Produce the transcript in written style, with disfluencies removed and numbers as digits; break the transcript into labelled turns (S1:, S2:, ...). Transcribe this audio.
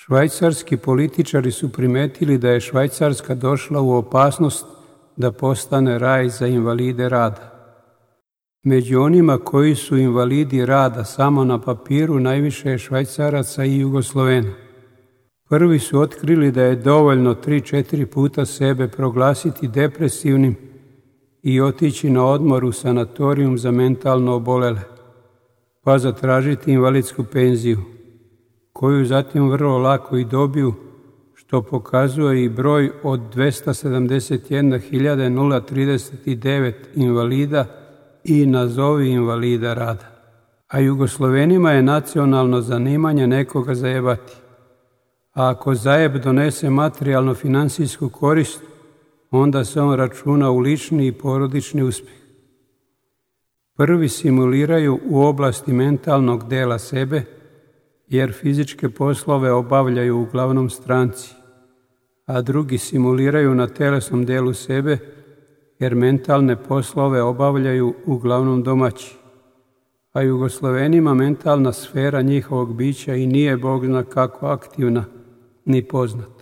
S1: Švajcarski političari su primetili da je Švajcarska došla u opasnost da postane raj za invalide rada. Među onima koji su invalidi rada samo na papiru najviše je Švajcaraca i Jugoslovena. Prvi su otkrili da je dovoljno 3-4 puta sebe proglasiti depresivnim i otići na odmor u sanatorijum za mentalno obolele, pa zatražiti invalidsku penziju, koju zatim vrlo lako i dobiju, što pokazuje i broj od 271.039 invalida i nazovi invalida rada. A Jugoslovenima je nacionalno zanimanje nekoga zajebati. A ako zajeb donese materijalno-finansijsku korist, onda se on računa u lični i porodični uspjeh. Prvi simuliraju u oblasti mentalnog dela sebe, jer fizičke poslove obavljaju uglavnom stranci, a drugi simuliraju na telesnom delu sebe, jer mentalne poslove obavljaju uglavnom domaći. A Jugoslovenima mentalna sfera njihovog bića i nije Bog zna kako aktivna ni poznata.